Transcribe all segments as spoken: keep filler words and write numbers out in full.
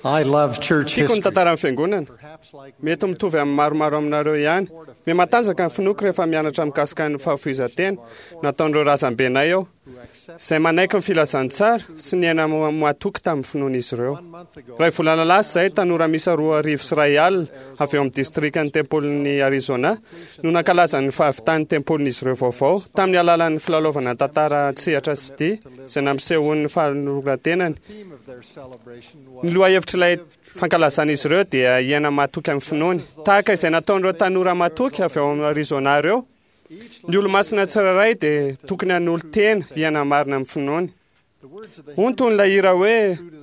I love church Tiako ny history. tantaran'ny fiangonana. Mety mitovy amin'ny maromaro aminareo ihany. Mihamatanjaka ny finoako rehefa mianatra mikasika ny fahafoizan-tena nataon'ireo razambenay aho, izay manaiky ny filazantsara sy ny aina matoky tamin'ny finoan'izy ireo. Iray volana lasa izay, tanora miisa roa arivo sy iray alina avy eo amin'ny distrikan'ny tempolin'i Arizona no nankalaza ny fahavitan'ny tempolin'izy ireo vaovao tamin'ny alalan'ny filalaovana tantara an-tsehatra sy dihy izay nampisehoan'ny fanoloran-tenany. Ny lohahevitr'ilay fankalazan'izy ireo dia hiaina matoky amin'ny finoany. Tahaka izay nataon'ireo tanora matoky avy ao amin'ny Arizona ireo, ny olomasina tsirairay dia tokony hanolo-tena hiaina marina amin'ny finoany. Hoy ny tonon'ilay hira hoe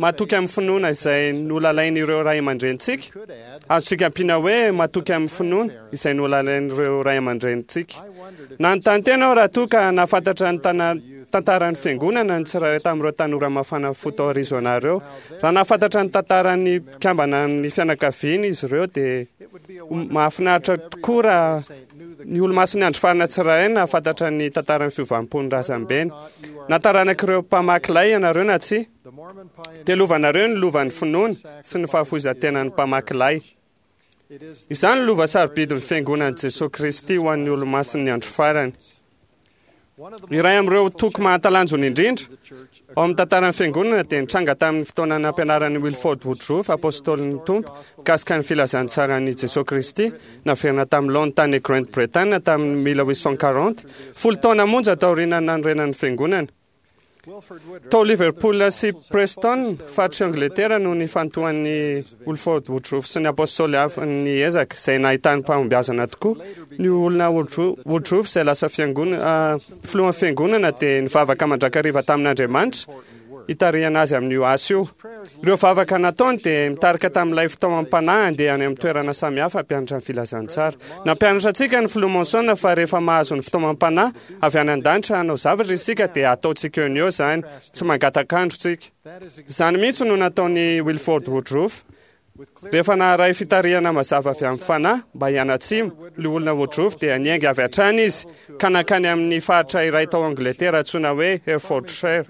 matoky amin'ny finoana izay nolalain'ireo ray aman-drenintsika. Azontsika ampiana hoe matoky amin'ny finoana izay nolalain'ireo ray aman-drenintsika. Nanontany tena aho raha toa ka nahafantatra ny tana- tantaran'ny fiangonana ny tsirairay tamin'ireo tanora mafana fo tao Arizona ireo. Raha nahafantatra ny tantaran'ny mpikambana amin'ny fianakaviany izy ireo dia mahafinaritra tokoa raha ny olomasin'ny andro farany tsirairay nahafantatra ny tantaran'ny fiovam-pon'ny razambeny. Na taranak'ireo mpamaky lay ianareo na tsia, dia lovanareo ny lovan'ny finoana sy ny fahafoizan-tenan'ny mpamaky lay. Izany no lova sarobidin'ny fiangonan'i Jesoa Kristy ho an'ny olomasin'ny andro farany. Iray amin'ireo toko mahatalanjona indrindra ao amin'ny tantaran'ny fiangonana dia nitranga tamin'ny fotoana nampianaran'i Wilford Woodruff, apôstôlin'ny Tompo, mikasika ny filazantsaran'i Jesoa Kristy, naverina tamin'ny laoniny tany Grande-Bretagne tamin'ny mille huit cent quarante, folo taona monja taorian'ny nanorenan'ny fiangonana. Tao Liverpool sy Preston, faritry Angletera, no nifantohan'i Wilford Woodruff sy ny apôstôly hafa ny ezaka, izay nahitany fahombiazana tokoa. Ny olona Woodruff izay lasa fiangona-, filohan'ny fiangonana dia nivavaka mandrakariva tamin'Andriamanitra hitarihana azy amin'io asa io. Ireo vavaka nataony dia mitarika tamin'ilay fitaomam-panahy handeha any amin'ny toerana samihafa hampianatra ny filazantsara. Nampianatra antsika ny filoha Monson fa rehefa mahazo ny fitaomam-panahy avy any an-danitra hanao zavatra isika dia ataontsika eo no eo izany, tsy mangatak'andro tsika. Izany mihitsy no nataon'i Wilford Woodruff. Rehefa naharay fitarihana mazava avy amin'ny fanahy mba hianatsimo, ny olona Woodruff dia niainga avy hatrany izy ka nankany amin'ny faritra iray tao Angletera antsoina hoe Herefordshire.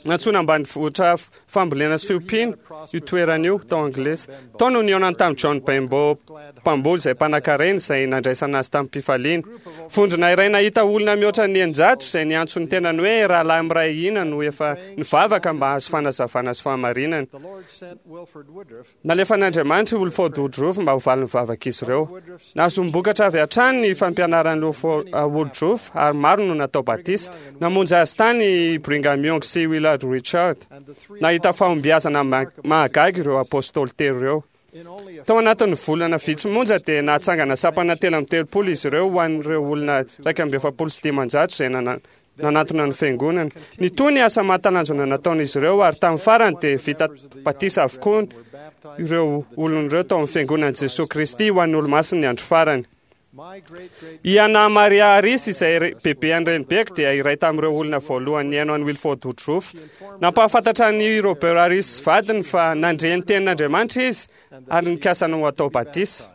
Nantsoina ambanivohitra fambolena sy fiompiana io toerana io tao Anglisy. Tao no nihaonany tamin'i John Benbow, mpamboly izay mpanankarena izay nandraisana azy tamin'ny-pifaliana. Vondrona iray nahita olona mihoatra ny eninjato izay niantso ny tenany hoe rahalahy miray hina no efa nivavaka mba hahazo fanazavana sy fahamarinana. Nalefan'Andriamanitra i Wilford Woodruff mba ho valin'ny vavak'izy ireo. Nahazoam-bokatra avy hatrany ny fampianaran'i Woodruff ary maro no natao batisa. Namonjy azy tany i Brigham Young sy Willard Richard. Nahita fahombiazana mahagaga ireo apôstôly telo ireo. Tao anatin'ny volana vitsy monja dia nahatsangana sampana telo amby telopolo izy ireo ho an'ireo olona iraika amby efapolo sy dimanjato izay nana- nanatona ny fiangonana. Nitohy ny asa mahatalanjona nataon'izy ireo ary tamin'ny farany dia vita batisa avokoa ireo olona ireo tao amin'ny fiangonan'i Jesoa Kristy ho an'ny olomasin'ny andro farany. I Anna Maria Harris izay bebe an'ny renibeko dia iray tamin'ireo olona voalohany nihaino an'i Wilford Woodruff. Nampahafantatra an'i Robert Harris vadiny fa nandre ny tenin'Andriamanitra izy ary nikasa ny ho atao batisa.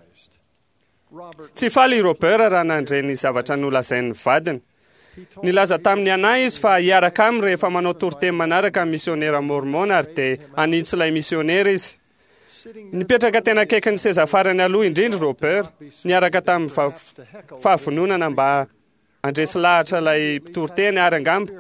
Tsy faly i Robert raha nandre ny zavatra nolazain'ny vadiny. Nilaza tamin'i Anna izy fa hiaraka aminy rehefa manao toriteny manaraka ny misionera mormon ary dia hanintsy ilay misionera izy. Nipetraka tena akaikin'ny seza farany aloha indrindra Robert, niaraka tamin'ny fahavononana mba handresy lahatra ilay mpitoriteny ary angamba,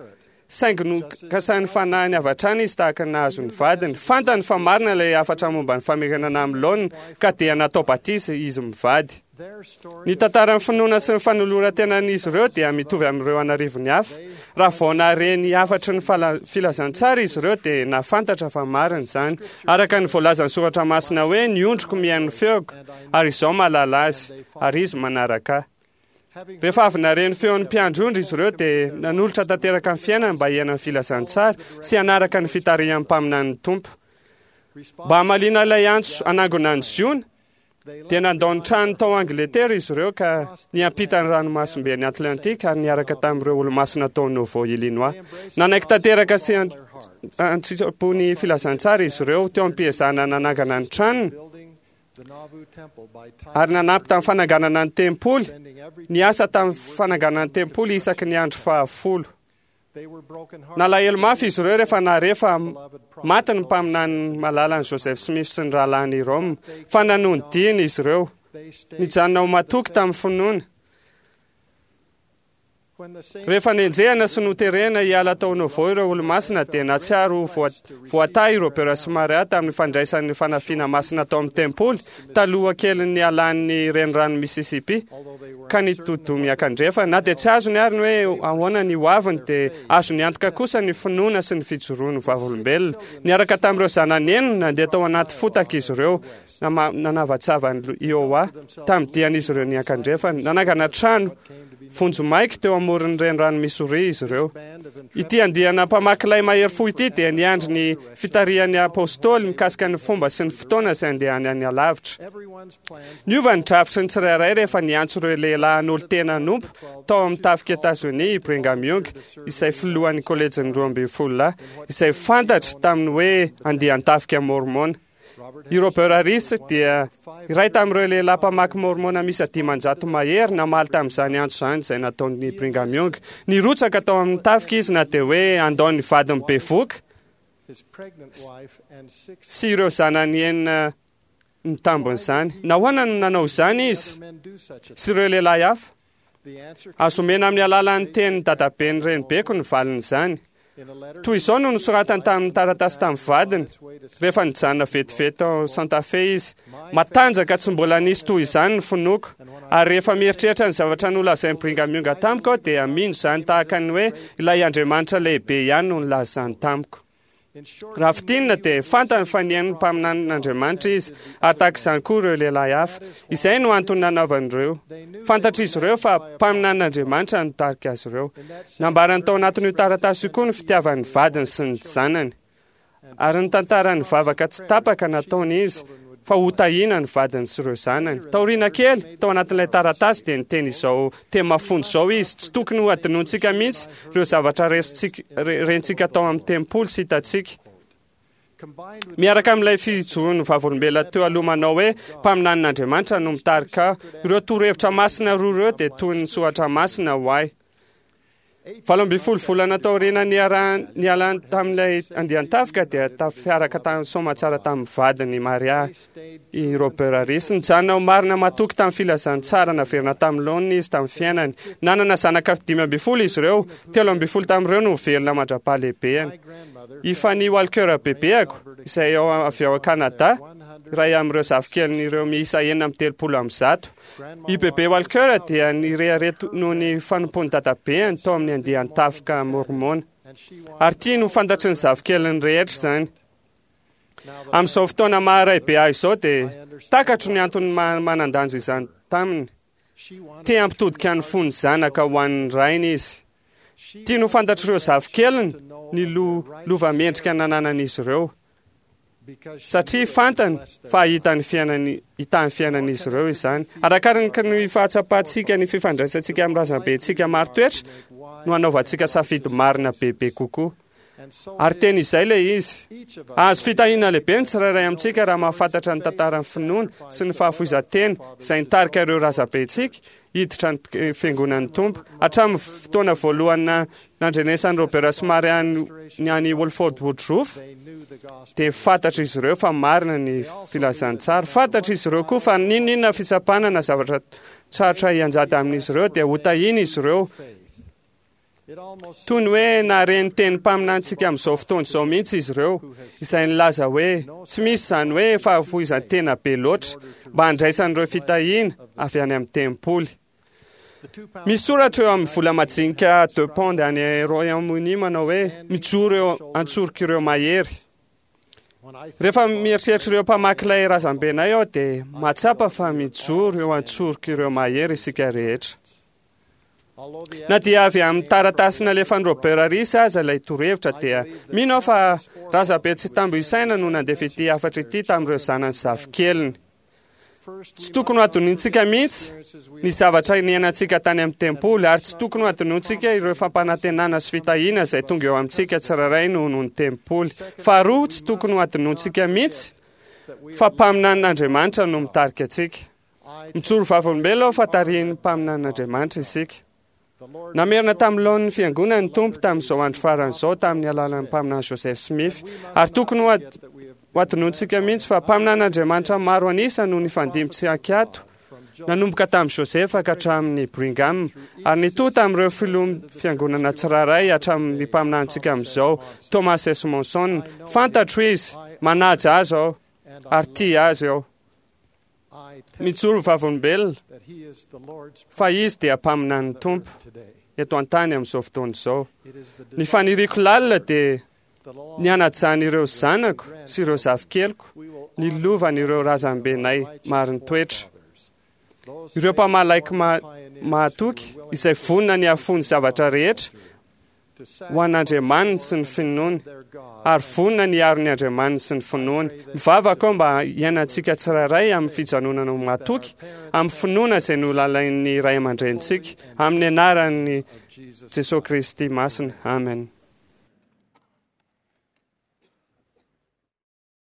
saingy nokasain'ny fanahiny avy hatrany izy tahaka ny nahazo ny vadiny. Fantany fa marina ilay hafatra momba ny famerenana amin'ny laoniny ka dia natao batisa izy mivady. Ny tantaran'ny finoana sy ny fanoloran-tenan'izy ireo dia mitovy amin'ireo an'arivony hafa. Raha vao nahare ny hafatry ny filazantsara izy ireo dia nahafantatra fa marina izany. Araka ny voalazan'ny soratra masina hoe ny ondriko mihaino ny feoko ary izaho mahalala azy ary izy manaraka ahy. Rehefa avy nahare ny feon'ny mpiandry ondry izy ireo dia nanolotra tanteraka ny fiainany mba hiaina ny filazantsara sy hanaraka ny fitarihan'ny mpaminanin'ny Tompo. Mba hamaliana ilay antso hanangona ny Ziona, dia nandao ny trano tao Angletera izy ireo ka niampita ny ranomasimben'i Atlantika ary niaraka tamin'ireo olomasina tao Nauvoo, Illinois. Nanaiky tanteraka sy an-tsitrapo ny filazantsara izy ireo teo am-piezahana nanangana ny tranony ary nanampy tamin'ny fananganana ny tempoly, niasa tamin'ny fananganana ny tempoly isaky ny andro fahafolo. Nalahelo mafy izy ireo rehefa nahare fa maty ny mpaminany malalany Joseph Smith sy ny rahalahiny Hyrum, fa nanohy ny diany izy ireo. Nijanona ho matoky tamin'ny finoana. Rehefa nenjehana sy noterena hiala tao Nauvoo ireo olomasina, dia nahatsiaro ho voatahy i Robert sy Maria tamin'ny fandraisan'ny fanafiana masina tao amin'ny tempoly taloha kelin'ny nialan'ny renirano Mississippi ka nitodoa miakandrefa. Na dia tsy azony ary ny hoe ahoana ny hoaviny, dia azony antoka kosa ny finoana sy ny fijoroan'ny vavolombelona. Niaraka tamin'ireo zanany enina, nandeha tao anaty fotaka izy ireo, nanavatsava ny Iowa tamin'ny dian'izy ireo niakandrefana. Nanangana trano vonjimaika teo amoron'ny renirano Missouri izy ireo. Ity andiana mpamaky lay mahery fo ity dia niandry ny fitarihan'ny apôstôly mikasika ny fomba sy ny fotoana izay andehany any alavitra. Niova ny drafitry ny tsirairay rehefa niantso ireo lehilahy hanolo-tena hanompo tao amin'ny tafika Etazonia i Brigham Young, izay filohan'ny kolejin'ny roa ambin'ny folo lahy, izay fantatra tamin'ny hoe andian-tafika Mormona. I Robert Harris dia iray tamin'ireo lehilahy mpamaky Mormona miisa dimanjato mahery namaly tamin'izany antso izany izay nataon'ny Brigham Young. Nirotsaka tao amin'ny tafika izy na dia hoe handao ny vadiny bevoka sy ireo zanany enina nitambon'izany. Nahoana no nanao izany izy sy ireo lehilahy hafa? Azo omena amin'ny alalan'ny tenin'ny dadaben'ny renibeko ny valin'izany. Toy izao no nosoratany tamin'ny taratasy tamin'ny vadiny rehefa nijanona vetivety tao Santa Fe izy: matanjaka tsy mbola nisy toy izany ny finoako, ary rehefa mieritreritra ny zavatra nolazain'i Brigham Young tamiko aho, dia mino izany tahaka ny hoe ilay Andriamanitra lehibe ihany no nilaza izany tamiko. Raha fintinina dia fantany fa nihaino ny mpaminanin'Andriamanitra izy, ary tahaka izany koa ireo lehilahy hafa. Izay no antony nanaovan'ireo. Fantatr'izy ireo fa mpaminanin'Andriamanitra no nitarika azy ireo. Nambarany tao anatin'io taratasy io koa ny fitiavan'ny vadiny sy ny zanany, ary ny tantaran'ny vavaka tsy tapaka nataony izy fa hotahiana ny vadiny sy ireo zanany. Taoriana kely, tao anatin'ilay taratasy dia niteny izao teny mafonja izao izy: tsy tokony ho adinontsika mihitsy ireo zavatra rentsika tao amin'ny tempoly sy hitantsika. Miaraka amin'ilay fijoroan'ny vavolombelona teo aloha manao hoe mpaminanin'Andriamanitra no mitarika, ireo torohevitra masina roa ireo dia toy ny soratra masina ho ahy. Valo ambin'ny folo volana taoriana nialany tamin'ilay andian-tafika dia tafiaraka tamin'ny soamantsara tamin'ny vadiny Maria i Robert Harris. Nijanona ho marina matoky tamin'ny filazantsara naverina tamin'ny laoniny izy tamin'ny fiainany. Nanana zanaka dimy ambin'ny folo izy ireo, telo ambin'ny folo tamin'ireo no velona mandra-pahalehibeany. I Fanny Walker bebeako, izay avy ao Kanada, iray amin'ireo zafikelin'ireo miisa enina amby telopolo amby zato. I Bebe Walker dia nirehareha noho ny fanompoan'ny dadabeany tao amin'ny andian-tafika Mormona, ary tiany ho fantatry ny zafikeliny rehetra izany. Amin'izao fotoana maha-ray be ahy izao dia takatro ny antony manan-danja izany taminy. Te hampitodika ny fony zanaka ho an'ny rainy izy. Tiany ho fantatr'ireo zafikeliny ny lova mendrika nananan'izy ireo, satria fantany fa hahita ny fiainany hita ny fiainan'izy ireo izany. Arakaraka ny fahatsapantsika ny fifandraisantsika amin'ny razambentsika marin-toetra no hanaovantsika safidy marina bebe kokoa. Ary teny izay ilay izy. Azo fitahiana lehibe ny tsirairay amintsika raha mahafantatra ny tantaran'ny finoana sy ny fahafoizan-tena izay nitarika ireo razambentsika hiditra ny fiangonan'ny Tompo. Hatramin'ny fotoana voalohany nandrenesan'i Robert sy Maria ny any Wolford Woodruff, dia fantatra izy ireo fa marina ny filazantsara. Fantatra izy ireo koa fa n'inon'inona fitsapana na zavatra tsarotra hianjady amin'izy ireo dia hotahiana izy ireo. Toy ny hoe nahare ny teny mpaminantsika amin'izao fotoana izao mihitsy izy ireo, izay nilaza hoe tsy misy izany hoe fahafoizan-tena be loatra mba handraisan'ireo fitahiana avy any amin'ny tempoly. Misy soratra eo amin'ny vola majinika deux pounds any Royaume-Uni manao hoe mijoro eo antsorok'ireo mahery. Rehefa mieritreritra ireo mpamaky ilay razambenay aho dia mahatsapa fa mijoro eo antsorok'ireo mahery isika rehetra. Na dia avy amin'ny taratasy nalefan'i Robert Harris aza ilay torohevitra dia mino aho fa razabe tsy tambo isaina no nandefa ity hafatra ity tamin'ireo zanany zafikeliny. Tsy tokony ho adinointsika mihitsy ny zavatra niainantsika tany amin'ny tempoly, ary tsy tokony ho adinointsika ireo fampanantenana sy fitahiana izay tonga eo amintsika tsirairay noho ny tempoly. Faharoa, tsy tokony ho adinointsika mihitsy fa mpaminanin'Andriamanitra no mitarika antsika. Mijoro vavolombelona aho fa tarihin'ny mpaminanin'Andriamanitra isika. Namerina tamin'ny laon'ny fiangonana ny Tompo tamin'izao andro farany izao tamin'ny alalan'ny mpaminany Joseph Smith, ary tokony ho hadinointsika mihitsy fa mpaminan'Andriamanitra maro an'isa no nifandimby tsy ankiato, nanomboka tamin'i Joseph ka hatramin'ny Brigham, ary nitohy tamin'ireo filohan'ny fiangonana tsirairay hatramin'ny mpaminanintsika amin'izao, Thomas S. Monson. Fantatro izy, manaja azy aho, ary tia azy aho. Mijoro vavolombelona fa izy dia mpaminan'ny Tompo eto an-tany amin'izao fotoana izao. Ny faniriako lalina dia ny hanajan'ireo zanako sy ireo zafikeliko ny lovan'ireo razambenay marin-toetra. Ireo mpamalaiky mahatoky izay vonona ny hahafoy ny zavatra rehetra ho an'Andriamaniny sy ny finoany, ary vonona ny hiaro ny Andriamaniny sy ny finoany. Mivavaka aho mba hiainantsika tsirairay amin'ny fijanonana ho mahatoky, amin'ny finoana izay nolalain'ny ray aman-drenintsika, amin'ny anaran'i Jesosy Kristy masina. Amen.